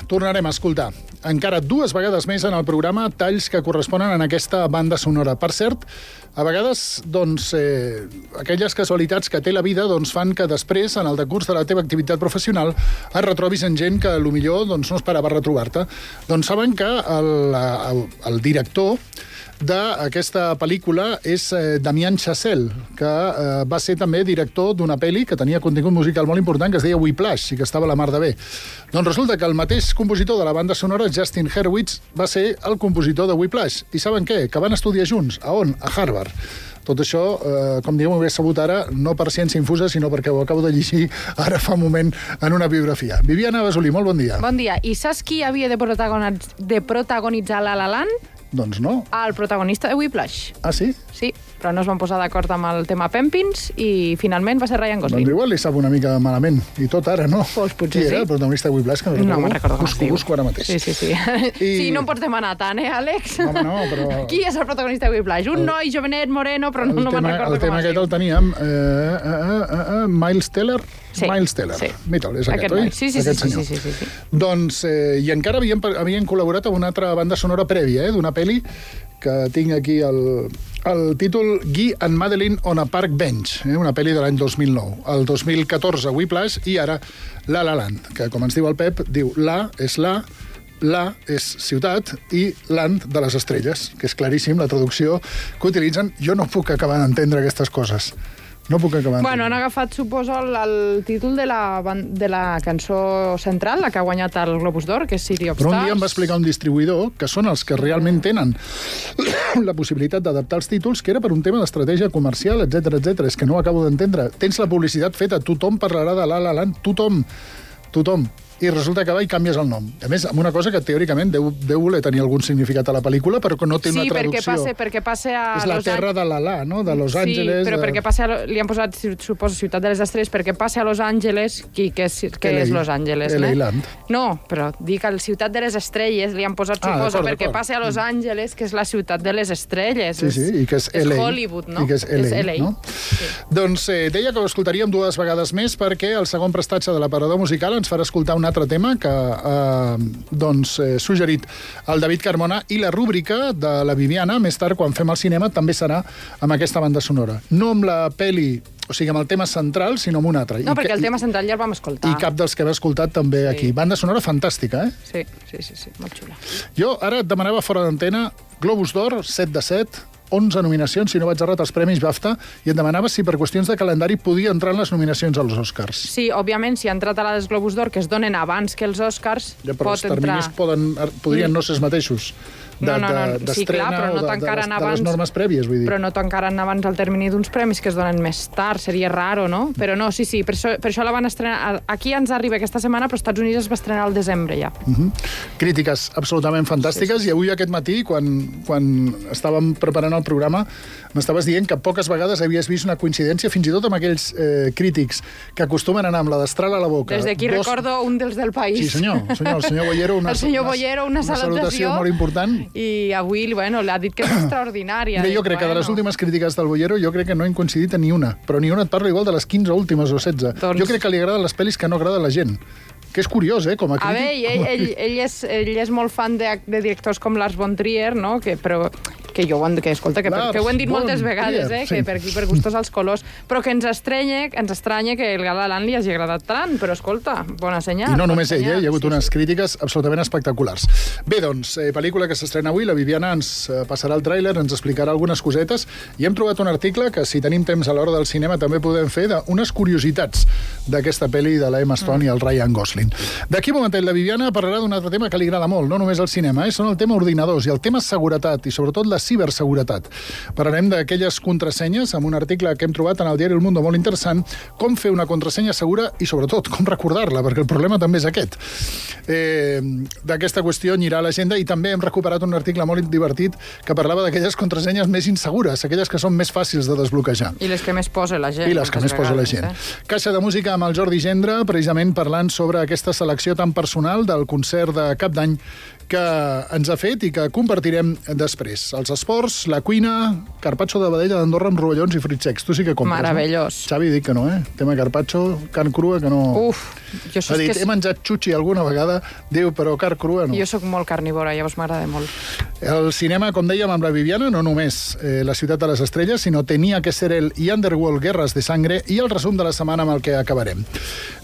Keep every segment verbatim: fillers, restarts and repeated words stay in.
tornarem a escoltar encara dues vegades més en el programa talls que corresponen a aquesta banda sonora. Per cert, a vegades, doncs, eh, aquelles casualitats que té la vida doncs, fan que després, en el decurs de la teva activitat professional, et retrobis en gent que potser doncs, no esperava retrobar-te. Doncs saben que el, el, el director d'aquesta pel·lícula és eh, Damien Chazelle, que eh, va ser també director d'una pel·li que tenia contingut musical molt important, que es deia Whiplash, i que estava a la mar de bé. Doncs resulta que el mateix compositor de la banda sonora, Justin Hurwitz, va ser el compositor de Whiplash. I saben què? Que van estudiar junts. A on? A Harvard. Tot això, eh, com diguem, ho he sabut ara, no per ciència infusa, sinó perquè ho acabo de llegir ara fa un moment en una biografia. Viviana Basolí, molt bon dia. Bon dia. I saps qui havia de, protagonitzar, de protagonitzar La La Land? Doncs no. El protagonista de Whiplash. Ah, sí? Sí, però no es van posar d'acord amb el tema Pempins i finalment va ser Ryan Gosling. Doncs igual li sap una mica malament. I tot ara, no? Pues potser Qui era sí. el protagonista de Whiplash? Que no, no me'n recordo com es diu. Busco ara mateix. Sí, sí, sí. I... Sí, no em pots demanar tant, eh, Àlex? Home, no, però... Qui és el protagonista de Whiplash? Un el... noi jovenet, moreno, però no, no me'n recordo com es diu. El tema aquest el teníem... Eh, eh, eh, eh, Miles Teller? Sí, Miles Teller. Sí. Mita'l, és aquest, aquest oi? Sí, sí, aquest sí, sí, sí, sí, sí. Doncs, eh, i encara havien, havien col·laborat amb una altra banda sonora prèvia, eh, d'una pel·li que tinc aquí el, el títol Guy and Madeline on a Park Bench, eh, una pel·li de l'any dos mil nou. El dos mil catorze Whiplash i ara La La Land, que com ens diu el Pep, diu La és la, La és ciutat i Land de les estrelles, que és claríssim la traducció que utilitzen. Jo no puc acabar d'entendre aquestes coses. No puc acabar. Bueno, han agafat, suposo, el, el títol de la, de la cançó central, la que ha guanyat el Globus d'Or, que és City of Stars. Però un dia em va explicar un distribuïdor que són els que realment tenen la possibilitat d'adaptar els títols, que era per un tema d'estratègia comercial, etcètera, etcètera. És que no ho acabo d'entendre. Tens la publicitat feta, tothom parlarà de La La Land, tothom, tothom. I resulta que va i canvies el nom. A més, amb una cosa que teòricament deu, deu voler tenir algun significat a la pel·lícula, però que no té sí, una traducció. Sí, perquè, perquè passa a... És la Los terra de la La, no? De Los Angeles. Sí, però de... perquè passa a... li han posat, suposo, Ciutat de les Estrelles, perquè passa a Los Angeles, qui, que és, que és Los Angeles, L A no? Land. No, però dic al Ciutat de les Estrelles li han posat, ah, suposo, perquè passa a Los Angeles, que és la Ciutat de les Estrelles. Sí, sí, i que és, és L A. Hollywood, no? I que és L A, és L A. no? Sí. Doncs eh, deia que ho escoltaríem dues vegades més perquè el segon prestatge de l'aparador musical ens farà escoltar un altre tema que eh, doncs, eh, suggerit el David Carmona, i la rúbrica de la Viviana, més tard, quan fem el cinema, també serà amb aquesta banda sonora. No amb la peli, o sigui, amb el tema central, sinó amb un altre. No, I perquè que, el tema central ja el vam escoltar. I cap dels que hem escoltat també sí. Aquí. Banda sonora fantàstica, eh? Sí, sí, sí, sí, molt xula. Jo ara et demanava fora d'antena Globus d'Or, set de set, onze nominacions, si no vaig errat, als Premis BAFTA, i et demanava si per qüestions de calendari podia entrar en les nominacions als Oscars. Sí, òbviament, si ha entrat a les Globus d'Or, que es donen abans que els Oscars, ja, però pot els terminis entrar... Poden, podrien no ser els mateixos. De, no, no, no. De, sí, clar, però no de, tancaren de, les, abans... de les normes prèvies, vull dir. Però no tancaren abans el termini d'uns premis que es donen més tard, seria raro, no? Però no, sí, sí, per això, per això la van estrenar... Aquí ens arriba aquesta setmana, però als Estats Units es va estrenar al desembre, ja. Uh -huh. Crítiques absolutament fantàstiques, sí, sí. I avui aquest matí, quan, quan estàvem preparant el programa, m'estaves dient que poques vegades havies vist una coincidència, fins i tot amb aquells eh, crítics que acostumen a anar amb la destral a la boca. Des d'aquí dos... recordo un dels del País. Sí, senyor, senyor el senyor Bollero, una, el senyor una, Bollero, una, una salutació molt important. I avui, bueno, l'ha dit que és extraordinària. Bé, jo crec bueno. que de les últimes crítiques del Bollero, jo crec que no hem coincidit en ni una, però ni una et parlo igual de les quinze últimes o setze. Doncs... Jo crec que li agraden les pel·lis que no agrada a la gent. Que és curiós, eh, com a crític. A veure, ell, ell, ell, és, ell és molt fan de, de directors com Lars von Trier, no? Que, però que jo ho hem, que, escolta, que, Lars, que ho hem dit moltes vegades, Trier, eh? Sí. Que per aquí, per gustos als colors, però que ens estranya, ens estranya que el La La Land li hagi agradat tant, però escolta, bona senyal. I no només ell, eh? Hi ha hagut sí, unes sí. crítiques absolutament espectaculars. Bé, doncs, eh, pel·lícula que s'estrena avui, la Viviana ens eh, passarà el tràiler, ens explicarà algunes cosetes, i hem trobat un article que, si tenim temps a l'hora del cinema, també podem fer d'unes curiositats d'aquesta pel·li de la Emma Stone mm. i el Ryan Gosling. D'aquí un momentet, la Viviana parlarà d'un altre tema que li agrada molt, no només al cinema, eh? Són el tema ordinadors i el tema seguretat, i sobretot la ciberseguretat. Parlarem d'aquelles contrasenyes, amb un article que hem trobat en el diari El Mundo molt interessant, com fer una contrasenya segura i, sobretot, com recordar-la, perquè el problema també és aquest. Eh, D'aquesta qüestió anirà a l'agenda, i també hem recuperat un article molt divertit que parlava d'aquelles contrasenyes més insegures, aquelles que són més fàcils de desbloquejar. I les que més posa la gent. I les que més posa la gent. Eh? Caixa de música amb el Jordi Gendre, precisament parlant sobre aquesta selecció tan personal del concert de Cap d'Any que ens ha fet i que compartirem després. El els esports, la cuina, carpaccio de vedella d'Andorra amb rovellons i fruits secs. Tu sí que compres, Meravellós. No? Xavi, dic que no, eh? Tema carpaccio, carn crua, que no... Uf, jo ha dit, que... he menjat xuxi alguna vegada, diu, però carn crua no. Jo sóc molt carnívora, llavors m'agrada molt. El cinema, com dèiem amb la Viviana, no només eh, La ciutat de les estrelles, sinó Tenia que ser él i Underworld, Guerres de sangre, i el resum de la setmana amb el que acabarem.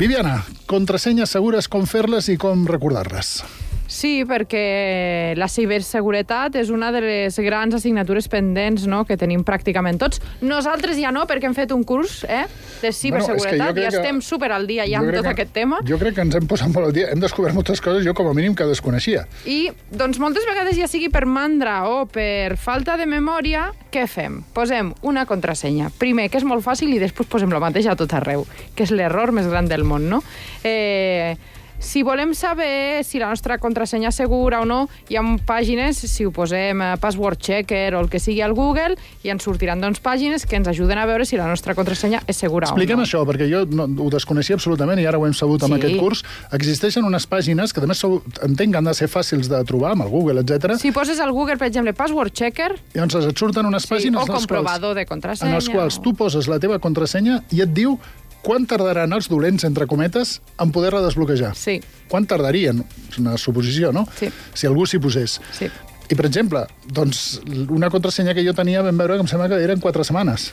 Viviana, contrasenyes segures, com fer-les i com recordar-les? Sí, perquè la ciberseguretat és una de les grans assignatures pendents, no?, que tenim pràcticament tots. Nosaltres ja no, perquè hem fet un curs eh, de ciberseguretat, bueno, ja estem super al dia ja amb tot que, aquest tema. Jo crec que ens hem posat molt al dia, hem descobert moltes coses, jo com a mínim que desconeixia. I, doncs, moltes vegades, ja sigui per mandra o per falta de memòria, què fem? Posem una contrasenya. Primer, que és molt fàcil, i després posem el mateix a tot arreu, que és l'error més gran del món, no? Eh... Si volem saber si la nostra contrasenya és segura o no, hi ha pàgines, si ho posem a Password Checker o el que sigui al Google, i ens sortiran doncs pàgines que ens ajuden a veure si la nostra contrasenya és segura Expliquem o no. Expliquem això, perquè jo no, ho desconeixia absolutament i ara ho hem sabut amb sí. aquest curs. Existeixen unes pàgines que, a més, entenc que han de ser fàcils de trobar amb el Google, etcètera. Si poses al Google, per exemple, Password Checker... Llavors et surten unes sí, pàgines... O comprovador quals, de contrasenya. En els quals tu poses la teva contrasenya i et diu quan tardaran els dolents, entre cometes, en poder-la desbloquejar? Sí. Quan tardarien? És una suposició, no? Sí. Si algú s'hi posés. Sí. I, per exemple, doncs, una contrasenya que jo tenia vam veure que em sembla que eren quatre setmanes.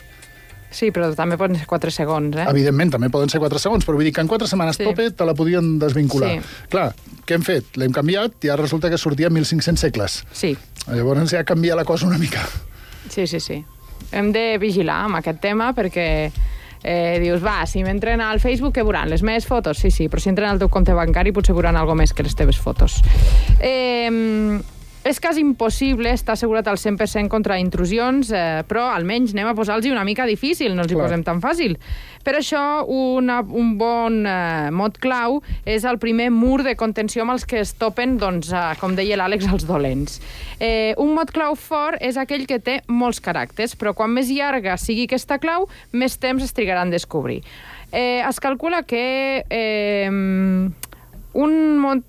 Sí, però també poden ser quatre segons, eh? Evidentment, també poden ser quatre segons, però vull dir que en quatre setmanes sí. tope te la podien desvincular. Sí. Clar, què hem fet? L'hem canviat i ara resulta que sortia mil cinc-cents segles. Sí. Llavors ja canvia la cosa una mica. Sí, sí, sí. Hem de vigilar amb aquest tema perquè... Eh, dius, va, si m'entren al Facebook, què veuran? Les meves fotos? Sí, sí, però si entren al teu compte bancari potser veuran alguna més que les teves fotos. Eh, és quasi impossible estar assegurat al cent per cent contra intrusions, eh, però almenys anem a posar-los una mica difícil, no els hi posem tan fàcil. Per això, una, un bon eh, mot clau és el primer mur de contenció amb els que es topen, doncs, eh, com deia l'Àlex, els dolents. Eh, un mot clau fort és aquell que té molts caràcters, però quan més llarga sigui aquesta clau, més temps es trigarà en descobrir. Eh, es calcula que... Eh, Un mot,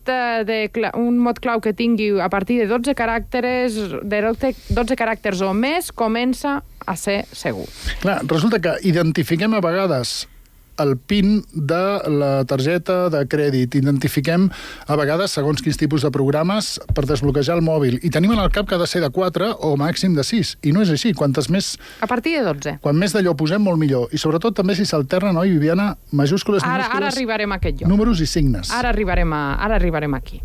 de, un mot clau que tingui a partir de dotze caràcters, de dotze caràcters o més comença a ser segur. Clar, resulta que identifiquem a vegades el PIN de la targeta de crèdit. Identifiquem a vegades segons quins tipus de programes per desbloquejar el mòbil. I tenim en el cap que ha de ser de quatre o màxim de sis. I no és així. Quantes més... A partir de dotze. Quan més d'allò posem, molt millor. I sobretot també si s'alternen, oi, Viviana? Majúscules, ara, minúscules... Ara arribarem a aquest lloc. Números i signes. Ara arribarem, a, ara arribarem aquí.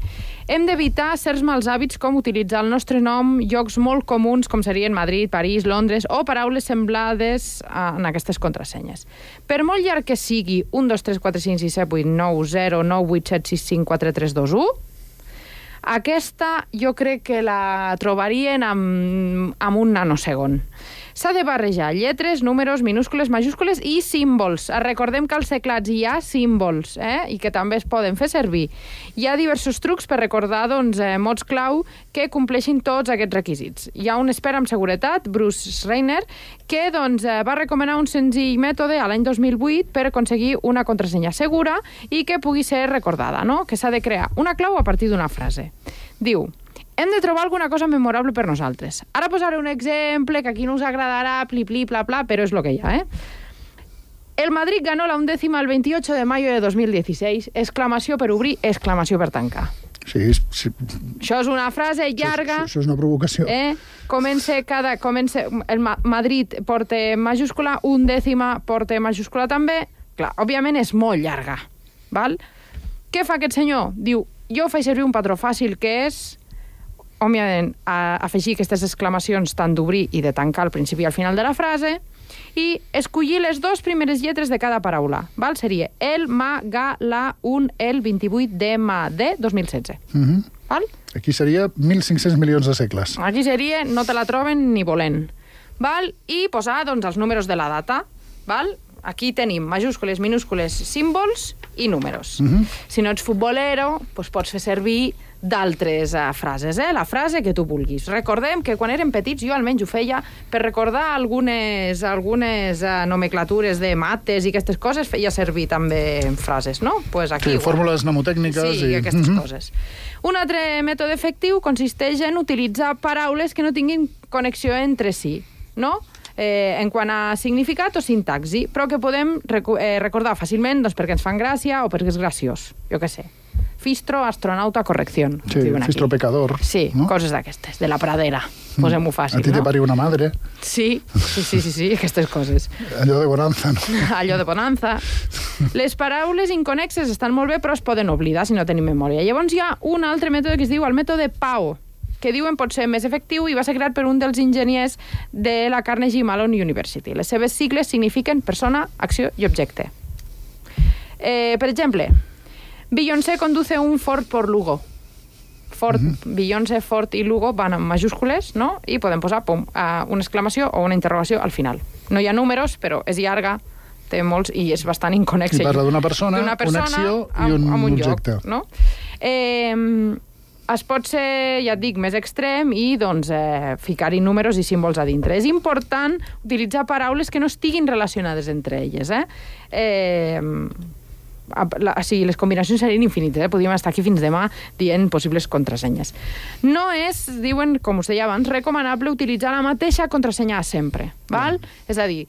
Hem d'evitar certs mals hàbits com utilitzar el nostre nom, llocs molt comuns com serien Madrid, París, Londres, o paraules semblades en aquestes contrasenyes. Per molt llarg que sigui un, dos, tres, quatre, cinc, sis, set, vuit, nou, zero, nou, vuit, set, sis, cinc, quatre, tres, dos, u, aquesta jo crec que la trobarien amb, amb un nanosegon. S'ha de barrejar lletres, números, minúscules, majúscules i símbols. Recordem que als teclats hi ha símbols, eh? I que també es poden fer servir. Hi ha diversos trucs per recordar doncs, eh, mots clau que compleixin tots aquests requisits. Hi ha un expert en seguretat, Bruce Schreiner, que doncs, eh, va recomanar un senzill mètode a l'any dos mil vuit per aconseguir una contrasenya segura i que pugui ser recordada, no? Que s'ha de crear una clau a partir d'una frase. Diu... Hem de trobar alguna cosa memorable per nosaltres. Ara posaré un exemple que aquí no us agradarà, pli, pli, pla, pla, però és lo que hi ha, eh? El Madrid ganó la undécima el veintiocho de mayo de dos mil dieciséis. Exclamació per obrir, exclamació per tancar. Sí, sí. Això és una frase llarga. Això, això és una provocació. Eh? Comença cada... Comença, el Ma Madrid porta majúscula, undècima porta majúscula també. Clar, òbviament és molt llarga. Val? Què fa aquest senyor? Diu, jo faig servir un patró fàcil que és... òbviament, a afegir aquestes exclamacions tant d'obrir i de tancar al principi i al final de la frase i escollir les dues primeres lletres de cada paraula. Val? Seria el, ma, ga, la, un, el, vint-i-vuit de ma, de dos mil setze. Uh-huh. Val? Aquí seria mil cinc-cents milions de segles. Aquí seria no te la troben ni volent. Val? I posar doncs, els números de la data. Val? Aquí tenim majúscules, minúscules, símbols i números. Uh-huh. Si no ets futbolero, doncs pots fer servir d'altres uh, frases, eh? La frase que tu vulguis. Recordem que quan érem petits, jo almenys ho feia, per recordar algunes, algunes uh, nomenclatures de mates i aquestes coses, feia servir també frases, no? Pues aquí, sí, fórmules mnemotècniques. Sí, i aquestes mm-hmm. coses. Un altre mètode efectiu consisteix en utilitzar paraules que no tinguin connexió entre si, no? Eh, en quant a significat o sintaxi, però que podem rec eh, recordar fàcilment doncs, perquè ens fan gràcia o perquè és graciós. Jo què sé. Fistro, astronauta, correcció. Sí, fistro pecador. Sí, no? Coses d'aquestes, de la pradera. Posem-ho fàcil, no? A ti te pariu una madre. Sí, sí, sí, sí, sí, aquestes coses. Allò de bonanza, no? Allò de bonanza. Les paraules inconexes estan molt bé, però es poden oblidar si no tenim memòria. Llavors hi ha un altre mètode que es diu el mètode P A O, que diuen pot ser més efectiu i va ser creat per un dels enginyers de la Carnegie Mellon University. Les seves sigles signifiquen persona, acció i objecte. Eh, per exemple, Beyoncé conduce un Ford por Lugo. Ford, uh-huh. Beyoncé, Ford i Lugo van en majúscules, no? I podem posar pum, una exclamació o una interrogació al final. No hi ha números, però és llarga, té molts i és bastant inconnexa. I parla d'una persona, persona, una acció i un, amb, amb un objecte. Lloc, no? Eh, es pot ser, ja et dic, més extrem i doncs, eh, ficar-hi números i símbols a dintre. És important utilitzar paraules que no estiguin relacionades entre elles. Eh? Eh, la, sí, les combinacions serien infinites. Eh? Podríem estar aquí fins demà dient possibles contrasenyes. No és, diuen, com us deia abans, recomanable utilitzar la mateixa contrasenya sempre. Val? Mm. És a dir,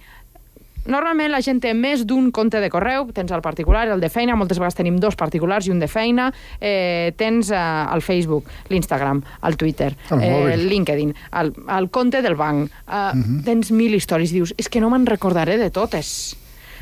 normalment la gent té més d'un compte de correu, tens el particular, el de feina, moltes vegades tenim dos particulars i un de feina, eh, tens eh, el Facebook, l'Instagram, el Twitter, el, eh, el LinkedIn, el, el compte del banc, eh, uh-huh. tens mil històries, dius, és que no me'n recordaré de totes.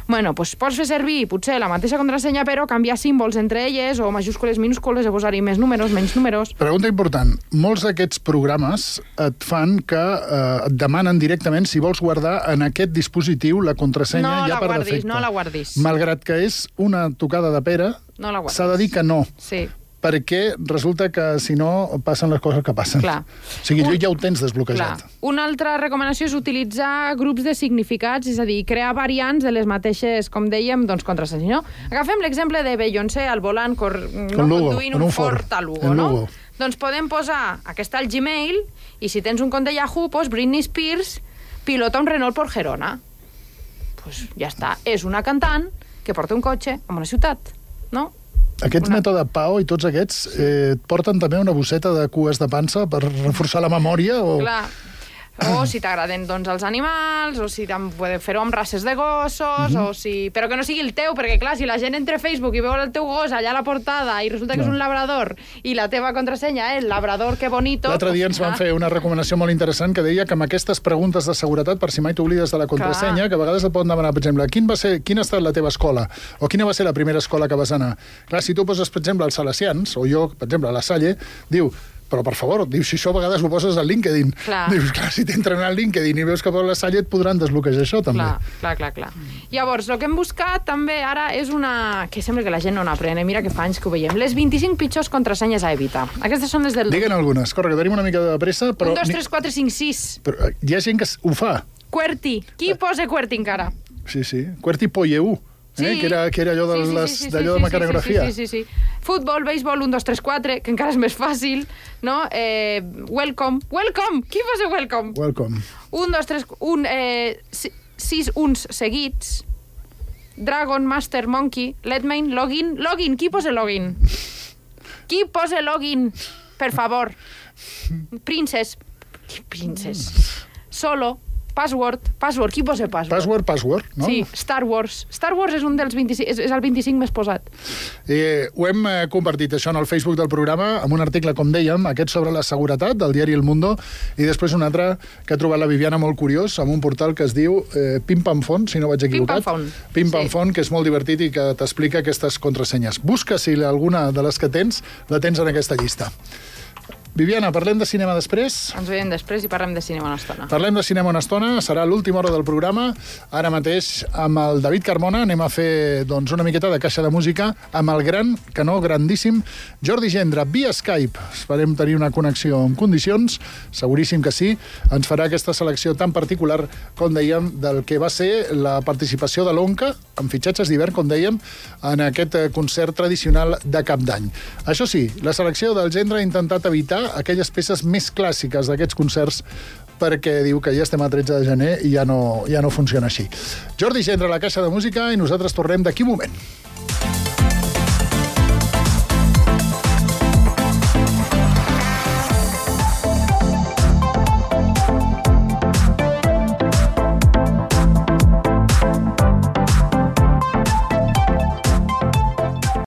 Bueno, doncs pots fer servir potser la mateixa contrasenya, però canviar símbols entre elles, o majúscules, minúscules, o posar-hi més números, menys números. Pregunta important. Molts d'aquests programes et fan que eh, et demanen directament si vols guardar en aquest dispositiu la contrasenya no ja la per guardis, defecte. No la guardis. Malgrat que és una tocada de pera, no la guardis. S'ha de dir que no. Sí. Perquè resulta que, si no, passen les coses que passen. Clar. O sigui, un, ja ho tens desbloquejat. Clar. Una altra recomanació és utilitzar grups de significats, és a dir, crear variants de les mateixes, com dèiem, doncs, contrasenyes. No? Agafem l'exemple de Beyoncé al volant cor... no? Lugo, conduint un, un Ford a Lugo, no? Lugo. Doncs podem posar aquesta al Gmail i si tens un compte Yahoo, pues Britney Spears pilota un Renault por Gerona. Pues ja està. És una cantant que porta un cotxe a una ciutat, no? Aquest una... mètode P A O i tots aquests eh, porten també una bosseta de cues de pansa per reforçar la memòria? O... Clar. O si t'agraden doncs, els animals, o si podeu fer-ho amb races de gossos, uh-huh. o si... però que no sigui el teu, perquè clar, si la gent entra a Facebook i veu el teu gos allà a la portada i resulta que no. és un labrador i la teva contrasenya és labrador, que bonito... L'altre dia ens van fer una recomanació molt interessant que deia que amb aquestes preguntes de seguretat, per si mai t'oblides de la contrasenya, clar. Que a vegades et poden demanar, per exemple, quin va ser, quina ha estat la teva escola? O quina va ser la primera escola que vas anar? Clar, si tu poses, per exemple, els Salesians, o jo, per exemple, a la Salle, diu... Però, per favor, dius, si això a vegades ho poses al LinkedIn. Clar. Dius, clar, si t'entren al LinkedIn i veus que per la Salle et podran desbloquejar això, també. Clar, clar, clar, clar. Llavors, el que hem buscat també ara és una... que sembla que la gent no n'aprèn, mira que fa anys que ho veiem. Les vint-i-cinc pitjors contrasenyes a evitar. Aquestes són les del... Diguen algunes. Corre, que tenim una mica de pressa, però... un, dos, tres, quatre, cinc, sis. Però hi ha gent que ho fa. QWERTY. Qui posa QWERTY encara? Sí, sí. QWERTY Poyeu. Sí. Eh? Que, era, que era allò de, sí, sí, les, sí, sí, d'allò sí, de mecanografia. Sí, sí, sí, sí. Futbol, béisbol, un, dos, tres, quatre, que encara és més fàcil, no? Eh, welcome. Welcome! Qui posa welcome? Welcome. Un, dos, tres, un, eh, sis uns seguits. Dragon, Master, Monkey, Letmain, Login. Login, qui posa login? Qui posa login? Per favor. Princess. Princess. Solo. Password, password, qui posa password? Password, password, no? Sí, Star Wars. Star Wars és un dels vint-i-cinc, és, és el vint-i-cinc més posat. Eh, ho hem eh, compartit, això, en el Facebook del programa, amb un article, com dèiem, aquest sobre la seguretat, del diari El Mundo, i després un altre que ha trobat la Viviana molt curiós, amb un portal que es diu eh, Pim Pam Font, si no vaig equivocat. Pim Pam Font. Pim Pam sí. Font, que és molt divertit i que t'explica aquestes contrasenyes. Busca si alguna de les que tens la tens en aquesta llista. Viviana, parlem de cinema després? Ens veiem després i parlem de cinema una estona. Parlem de cinema una estona, serà l'última hora del programa. Ara mateix, amb el David Carmona, anem a fer doncs, una miqueta de caixa de música amb el gran, que no, grandíssim, Jordi Gendre, via Skype. Esperem tenir una connexió en condicions, seguríssim que sí. Ens farà aquesta selecció tan particular, com dèiem, del que va ser la participació de l'Onca, amb fitxatges d'hivern, com dèiem, en aquest concert tradicional de Cap d'Any. Això sí, la selecció del Gendre ha intentat evitar aquelles peces més clàssiques d'aquests concerts perquè diu que ja estem a tretze de gener i ja no, ja no funciona així. Jordi Gendre, la caixa de música, i nosaltres tornem d'aquí un moment.